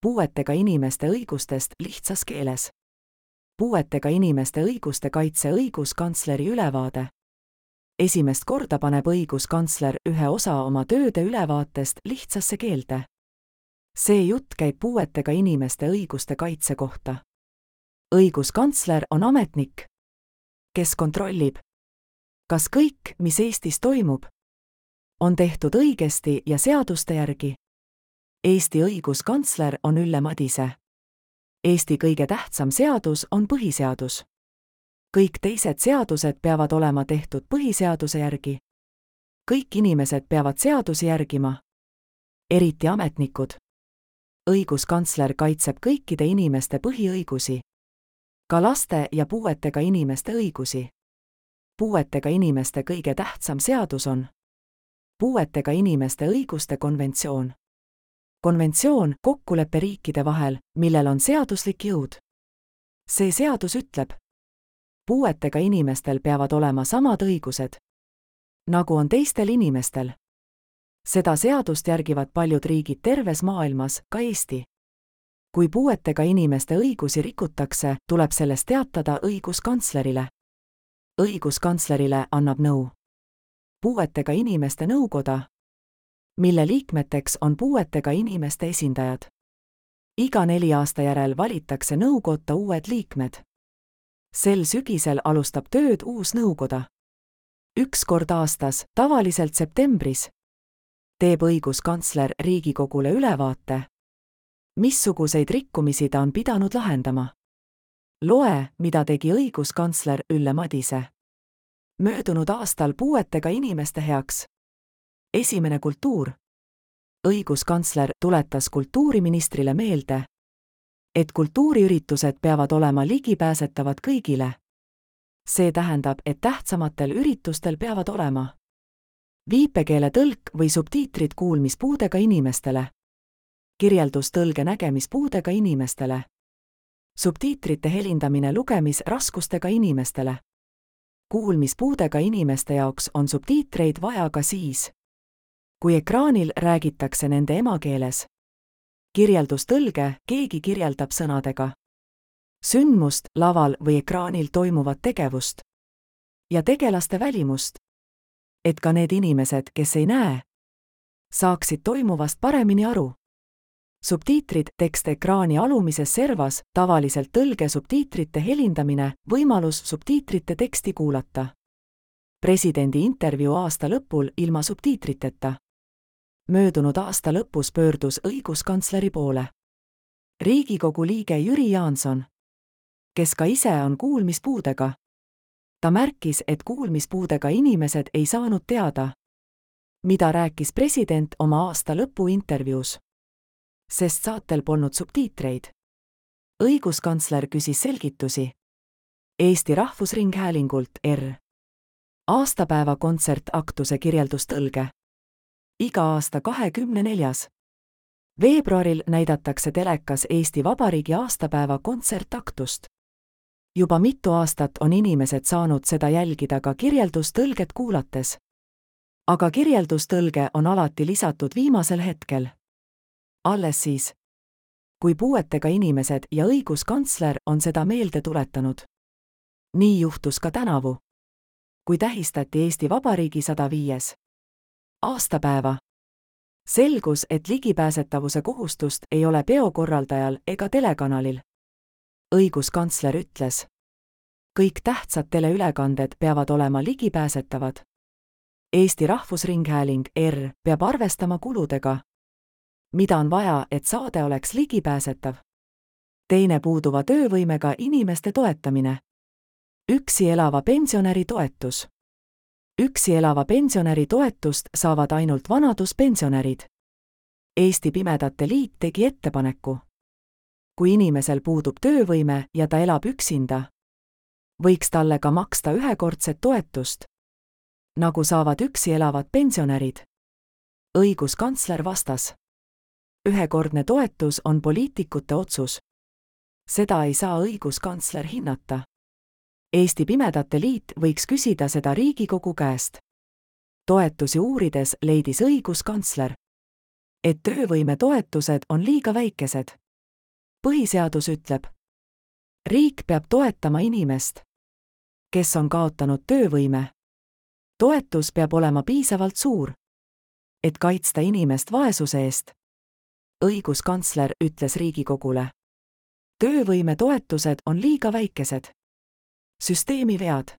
Puuetega inimeste õigustest lihtsas keeles. Puuetega inimeste õiguste kaitse õiguskantsleri ülevaade. Esimest korda paneb õiguskantsler ühe osa oma tööde ülevaatest lihtsasse keelde. See jutt käib puuetega inimeste õiguste kaitse kohta. Õiguskantsler on ametnik, kes kontrollib, kas kõik, mis Eestis toimub, on tehtud õigesti ja seaduste järgi. Eesti õiguskantsler on Ülle Madise. Eesti kõige tähtsam seadus on põhiseadus. Kõik teised seadused peavad olema tehtud põhiseaduse järgi. Kõik inimesed peavad seadusi järgima, eriti ametnikud. Õiguskantsler kaitseb kõikide inimeste põhiõigusi, ka laste ja puuetega inimeste õigusi. Puuetega inimeste kõige tähtsam seadus on puuetega inimeste õiguste konventsioon. Konventsioon kokkuleppe riikide vahel, millel on seaduslik jõud. See seadus ütleb, puuetega inimestel peavad olema samad õigused, nagu on teistel inimestel. Seda seadust järgivad paljud riigid terves maailmas, ka Eesti. Kui puuetega inimeste õigusi rikutakse, tuleb sellest teatada õiguskantslerile. Õiguskantslerile annab nõu puuetega inimeste nõukoda, mille liikmeteks on puuetega inimeste esindajad. Iga 4 aasta järel valitakse nõukotta uued liikmed. Sel sügisel alustab tööd uus nõukoda. 1 kord aastas, tavaliselt septembris, teeb õiguskantsler Riigikogule ülevaate, missuguseid rikkumisi ta on pidanud lahendama. Loe, mida tegi õiguskantsler Ülle Madise. Möödunud aastal puuetega inimeste heaks. Esimene kultuur. Õiguskantsler tuletas kultuuriministrile meelde, et kultuuriüritused peavad olema ligipääsetavad kõigile. See tähendab, et tähtsamatel üritustel peavad olema viipekeele tõlk või subtiitrid kuulmispuudega inimestele, kirjeldustõlge nägemispuudega inimestele, subtiitrite helindamine lugemisraskustega inimestele. Kuulmispuudega inimeste jaoks on subtiitreid vaja ka siis, kui ekraanil räägitakse nende emakeeles. Kirjeldustõlge, keegi kirjeldab sõnadega sündmust, laval või ekraanil toimuvat tegevust ja tegelaste välimust, et ka need inimesed, kes ei näe, saaksid toimuvast paremini aru. Subtiitrid, tekst ekraani alumises servas, tavaliselt tõlge subtiitrite helindamine, võimalus subtiitrite teksti kuulata. Presidendi intervjuu aasta lõpul ilma subtiitriteta. Möödunud aasta lõpus pöördus õiguskantsleri poole Riigikogu liige Jüri Jaanson, kes ka ise on kuulmispuudega. Ta märkis, et kuulmispuudega inimesed ei saanud teada, mida rääkis president oma aasta lõpu intervjuus, sest saatel polnud subtiitreid. Õiguskantsler küsis selgitusi Eesti Rahvusringhäälingult aastapäeva kontsertaktuse kirjeldustõlge. Iga aasta 24. veebruaril näidatakse telekas Eesti Vabariigi aastapäeva kontsertaktust. Juba mitu aastat on inimesed saanud seda jälgida ka kirjeldustõlget kuulates. Aga kirjeldustõlge on alati lisatud viimasel hetkel. Alles siis, kui puuetega inimesed ja õiguskantsler on seda meelde tuletanud. Nii juhtus ka tänavu, kui tähistati Eesti Vabariigi 105. aastapäeva. Selgus, et ligipääsetavuse kohustust ei ole peokorraldajal ega telekanalil. Õiguskantsler ütles, kõik tähtsad teleülekanded peavad olema ligipääsetavad. Eesti Rahvusringhääling peab arvestama kuludega, mida on vaja, et saade oleks ligipääsetav. Teine puuduva töövõimega inimeste toetamine. Üksi elava pensionäri toetus. Üksi elava pensionäri toetust saavad ainult vanaduspensionärid. Eesti Pimedate Liit tegi ettepaneku. Kui inimesel puudub töövõime ja ta elab üksinda, võiks talle ka maksta ühekordset toetust, nagu saavad üksi elavad pensionärid. Õiguskantsler vastas, ühekordne toetus on poliitikute otsus. Seda ei saa õiguskantsler hinnata. Eesti Pimedate Liit võiks küsida seda Riigikogu käest. Toetusi uurides leidis õiguskantsler, et töövõime toetused on liiga väikesed. Põhiseadus ütleb, riik peab toetama inimest, kes on kaotanud töövõime. Toetus peab olema piisavalt suur, et kaitsta inimest vaesuse eest. Õiguskantsler ütles Riigikogule, töövõime toetused on liiga väikesed. Süsteemi vead.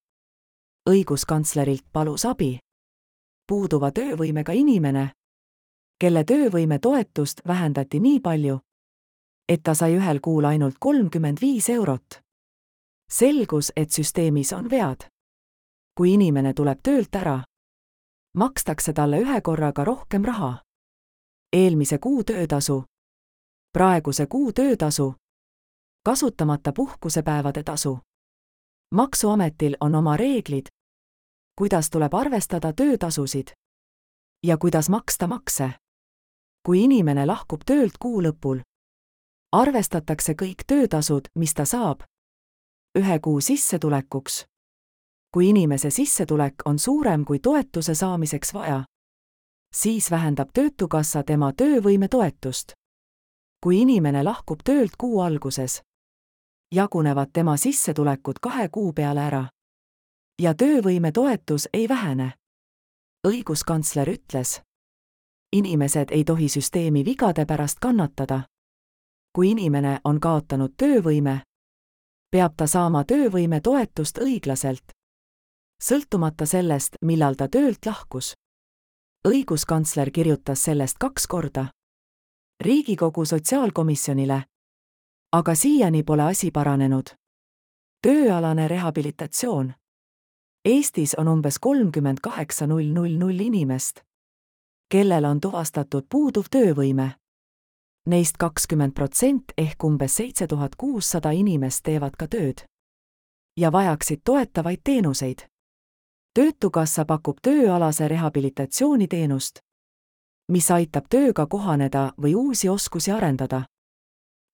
Õiguskantslerilt palus abi puuduva töövõimega inimene, kelle töövõime toetust vähendati nii palju, et ta sai ühel kuul ainult 35 eurot. Selgus, et süsteemis on vead. Kui inimene tuleb töölt ära, makstakse talle ühe korraga rohkem raha. Eelmise kuu töötasu, praeguse kuu töötasu, kasutamata puhkusepäevade tasu. Maksuametil on oma reeglid, kuidas tuleb arvestada töötasusid ja kuidas maksta makse. Kui inimene lahkub töölt kuu lõpul, arvestatakse kõik töötasud, mis ta saab, ühe kuu sissetulekuks. Kui inimese sissetulek on suurem kui toetuse saamiseks vaja, siis vähendab Töötukassa tema töövõime toetust. Kui inimene lahkub töölt kuu alguses, jagunevad tema sissetulekud 2 kuu peale ära ja töövõime toetus ei vähene. Õiguskantsler ütles, inimesed ei tohi süsteemi vigade pärast kannatada. Kui inimene on kaotanud töövõime, peab ta saama töövõime toetust õiglaselt, sõltumata sellest, millal ta töölt lahkus. Õiguskantsler kirjutas sellest 2 korda Riigikogu sotsiaalkomisjonile, aga siiani pole asi paranenud. Tööalane rehabilitatsioon. Eestis on umbes 38 000 inimest, kellel on tuvastatud puuduv töövõime. Neist 20% ehk umbes 7600 inimest teevad ka tööd ja vajaksid toetavaid teenuseid. Töötukassa pakub tööalase rehabilitatsiooni teenust, mis aitab tööga kohaneda või uusi oskusi arendada.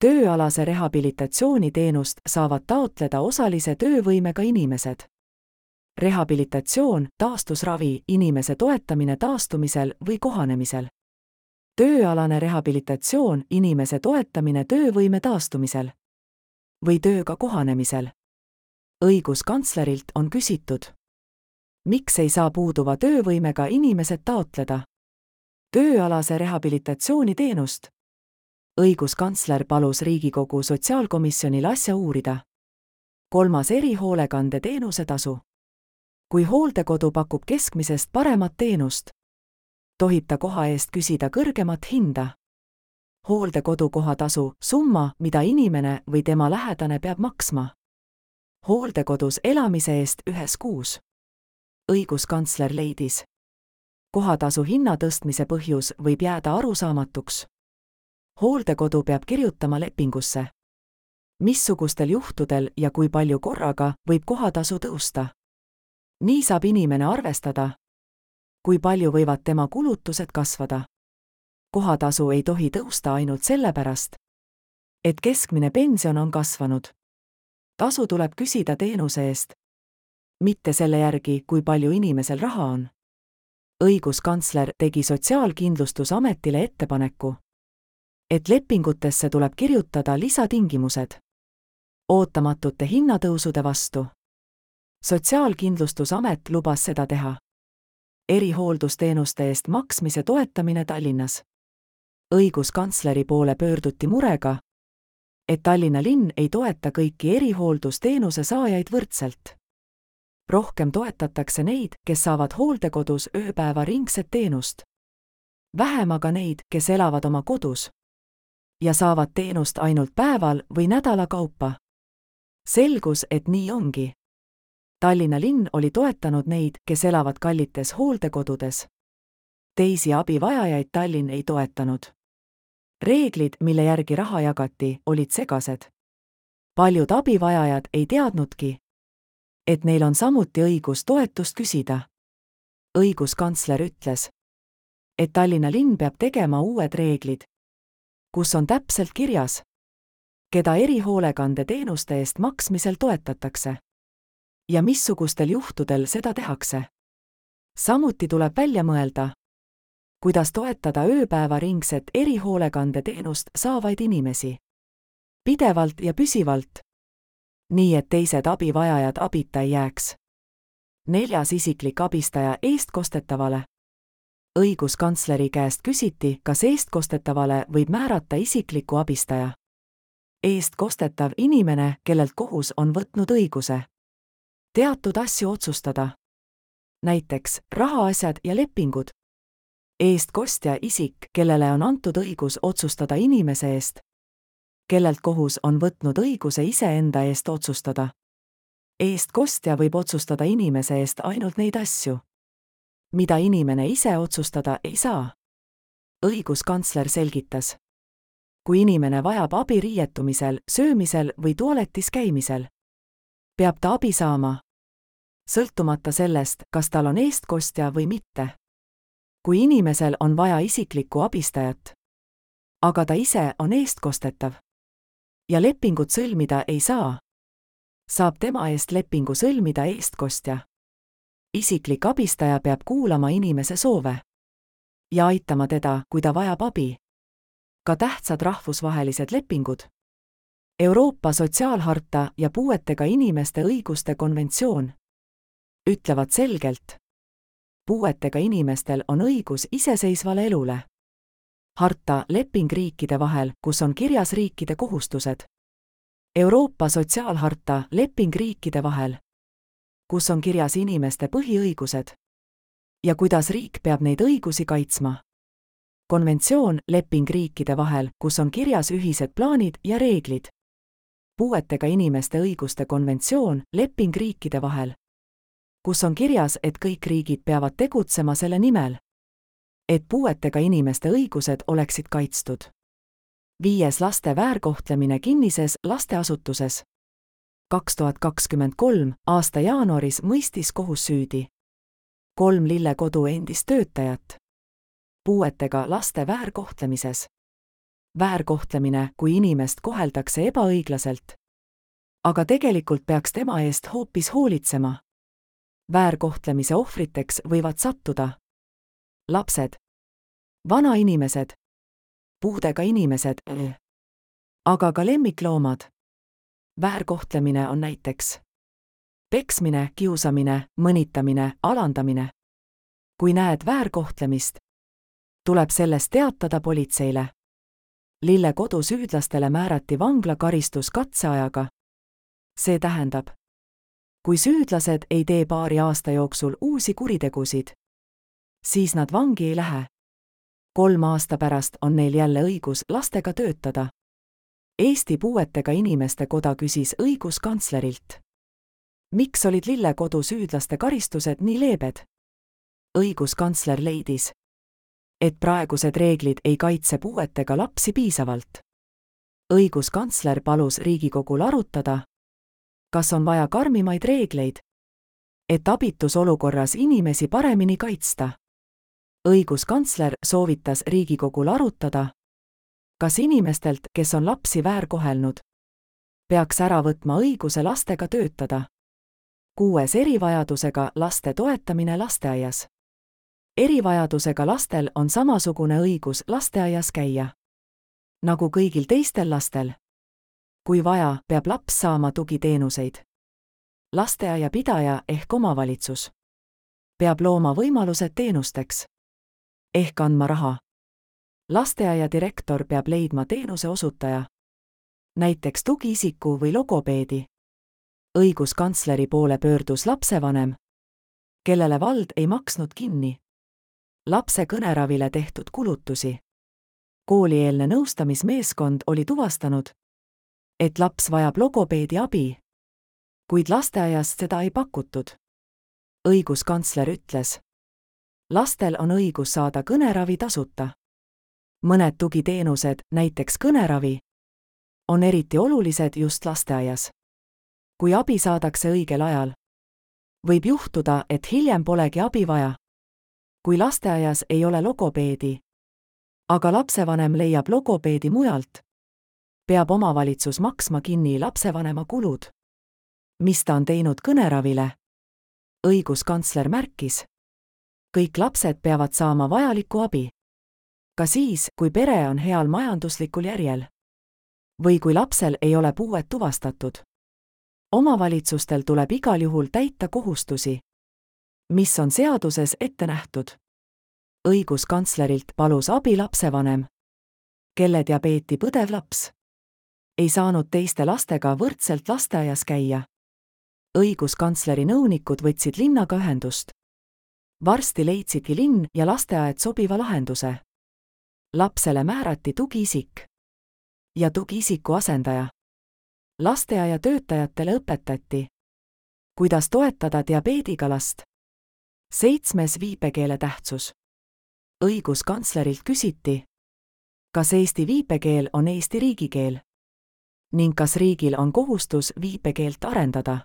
Tööalase rehabilitatsiooni teenust saavad taotleda osalise töövõimega inimesed. Rehabilitatsioon, taastusravi, inimese toetamine taastumisel või kohanemisel. Tööalane rehabilitatsioon, inimese toetamine töövõime taastumisel või tööga kohanemisel. Õiguskantslerilt on küsitud, miks ei saa puuduva töövõimega inimesed taotleda tööalase rehabilitatsiooni teenust? Õiguskantsler palus Riigikogu sotsiaalkomisjonil asja uurida. 3. erihoolekande teenuse tasu. Kui hooldekodu pakub keskmisest paremat teenust, tohib ta koha eest küsida kõrgemat hinda. Hooldekodu kohatasu, summa, mida inimene või tema lähedane peab maksma hooldekodus elamise eest ühes kuus. Õiguskantsler leidis, kohatasu hinna tõstmise põhjus võib jääda arusaamatuks. Hooldekodu peab kirjutama lepingusse, missugustel juhtudel ja kui palju korraga võib kohatasu tõusta. Nii saab inimene arvestada, kui palju võivad tema kulutused kasvada. Kohatasu ei tohi tõusta ainult sellepärast, et keskmine pension on kasvanud. Tasu tuleb küsida teenuse eest, mitte selle järgi, kui palju inimesel raha on. Õiguskantsler tegi Sotsiaalkindlustusametile ettepaneku, et lepingutesse tuleb kirjutada lisatingimused ootamatute hinnatõusude vastu. Sotsiaalkindlustusamet lubas seda teha. Erihooldusteenuste eest maksmise toetamine Tallinnas. Õiguskantsleri poole pöörduti murega, et Tallinna linn ei toeta kõiki erihooldusteenuse saajaid võrdselt. Rohkem toetatakse neid, kes saavad hooldekodus ööpäevaringset teenust. Vähem aga neid, kes elavad oma kodus ja saavad teenust ainult päeval või nädala kaupa. Selgus, et nii ongi. Tallinna linn oli toetanud neid, kes elavad kallites hooldekodudes. Teisi abivajajaid Tallinn ei toetanud. Reeglid, mille järgi raha jagati, olid segased. Paljud abivajajad ei teadnudki, et neil on samuti õigus toetust küsida. Õiguskantsler ütles, et Tallinna linn peab tegema uued reeglid, kus on täpselt kirjas, keda erihoolekande teenuste eest maksmisel toetatakse ja missugustel juhtudel seda tehakse. Samuti tuleb välja mõelda, kuidas toetada ööpäevaringset erihoolekande teenust saavaid inimesi. pidevalt ja püsivalt. Nii et teised abivajajad abita ei jääks. 4. isiklik abistaja eestkostetavale. Õiguskantsleri käest küsiti, kas eestkostetavale võib määrata isikliku abistaja. Eestkostetav inimene, kellelt kohus on võtnud õiguse teatud asju otsustada. Näiteks rahaasjad ja lepingud. Eestkostja isik, kellele on antud õigus otsustada inimese eest, kellelt kohus on võtnud õiguse iseenda eest otsustada. Eestkostja võib otsustada inimese eest ainult neid asju, mida inimene ise otsustada ei saa. Õiguskantsler selgitas. Kui inimene vajab abi riietumisel, söömisel või tualetis käimisel, peab ta abi saama, sõltumata sellest, kas tal on eestkostja või mitte. Kui inimesel on vaja isiklikku abistajat, aga ta ise on eestkostetav ja lepingut sõlmida ei saa, saab tema eest lepingu sõlmida eestkostja. Isiklik abistaja peab kuulama inimese soove ja aitama teda, kui ta vajab abi. Ka tähtsad rahvusvahelised lepingud, Euroopa sotsiaalharta ja puuetega inimeste õiguste konventsioon ütlevad selgelt, puuetega inimestel on õigus iseseisvale elule. Harta leping riikide vahel, kus on kirjas riikide kohustused. Euroopa sotsiaalharta leping riikide vahel, kus on kirjas inimeste põhiõigused ja kuidas riik peab neid õigusi kaitsma. Konventsioon leping riikide vahel, kus on kirjas ühised plaanid ja reeglid. Puuetega inimeste õiguste konventsioon leping riikide vahel, kus on kirjas, et kõik riigid peavad tegutsema selle nimel, et puuetega inimeste õigused oleksid kaitstud. 5. laste väärkohtlemine kinnises lasteasutuses. 2023. aasta jaanuaris mõistis kohus süüdi 3 Lillekodu endist töötajat puuetega laste väärkohtlemises. Väärkohtlemine, kui inimest koheldakse ebaõiglaselt, aga tegelikult peaks tema eest hoopis hoolitsema. Väärkohtlemise ohvriteks võivad sattuda lapsed, vanainimesed, puudega inimesed, aga ka lemmikloomad. Väärkohtlemine on näiteks peksmine, kiusamine, mõnitamine, alandamine. Kui näed väärkohtlemist, tuleb sellest teatada politseile. Lillekodu süüdlastele määrati vanglakaristus katseajaga. See tähendab, kui süüdlased ei tee paari aasta jooksul uusi kuritegusid, siis nad vangi ei lähe. 3 aasta pärast on neil jälle õigus lastega töötada. Eesti Puuetega Inimeste Koda küsis õiguskantslerilt, miks olid Lillekodu süüdlaste karistused nii leebed? Õiguskantsler leidis, et praegused reeglid ei kaitse puuetega lapsi piisavalt. Õiguskantsler palus Riigikogul arutada, kas on vaja karmimaid reegleid, et abitus olukorras inimesi paremini kaitsta. Õiguskantsler soovitas Riigikogul arutada, kas inimestelt, kes on lapsi väärkohelnud, peaks ära võtma õiguse lastega töötada. 6. erivajadusega laste toetamine lasteaias. Erivajadusega lastel on samasugune õigus lasteaias käia nagu kõigil teistel lastel. Kui vaja, peab laps saama tugiteenuseid. Lasteaia pidaja ehk omavalitsus peab looma võimalused teenusteks ehk andma raha. Lasteaia direktor peab leidma teenuse osutaja, näiteks tugiisiku või logopeedi. Õiguskantsleri poole pöördus lapsevanem, kellele vald ei maksnud kinni lapse kõneravile tehtud kulutusi. Koolieelne nõustamismeeskond oli tuvastanud, et laps vajab logopeedi abi, kuid lasteaias seda ei pakutud. Õiguskantsler ütles, lastel on õigus saada kõneravi tasuta. Mõned tugiteenused, näiteks kõneravi, on eriti olulised just lasteaias. Kui abi saadakse õigel ajal, võib juhtuda, et hiljem polegi abi vaja. Kui lasteaias ei ole logopeedi, aga lapsevanem leiab logopeedi mujalt, peab omavalitsus maksma kinni lapsevanema kulud, mis ta on teinud kõneravile. Õiguskantsler märkis, kõik lapsed peavad saama vajalikku abi, ka siis, kui pere on heal majanduslikul järjel. või kui lapsel ei ole puuet tuvastatud. Omavalitsustel tuleb igal juhul täita kohustusi, mis on seaduses ette nähtud. Õiguskantslerilt palus abi lapsevanem, kelle diabeeti põdev laps ei saanud teiste lastega võrdselt lasteaias käia. Õiguskantsleri nõunikud võtsid linnaga ühendust. Varsti leidsidki linn ja lasteaed sobiva lahenduse. Lapsele määrati tugiisik ja tugiisiku asendaja. Lasteaia töötajatele õpetati, kuidas toetada diabeediga last. 7. viipekeele tähtsus. Õiguskantslerilt küsiti, kas eesti viipekeel on Eesti riigikeel ning kas riigil on kohustus viipekeelt arendada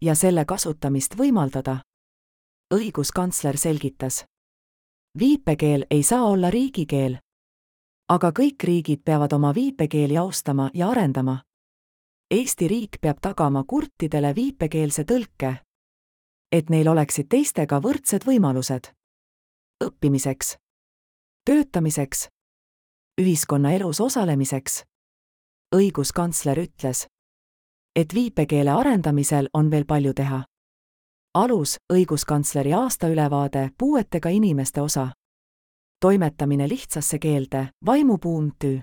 ja selle kasutamist võimaldada. Õiguskantsler selgitas, viipekeel ei saa olla riigikeel, aga kõik riigid peavad oma viipekeeli austama ja arendama. Eesti riik peab tagama kurtidele viipekeelse tõlke, et neil oleksid teistega võrdsed võimalused õppimiseks, töötamiseks, ühiskonnaelus osalemiseks. Õiguskantsler ütles, et viipekeele arendamisel on veel palju teha. Alus õiguskantsleri aastaülevaade puuetega inimeste osa. Toimetamine lihtsasse keelde, vaimupuum TÜ.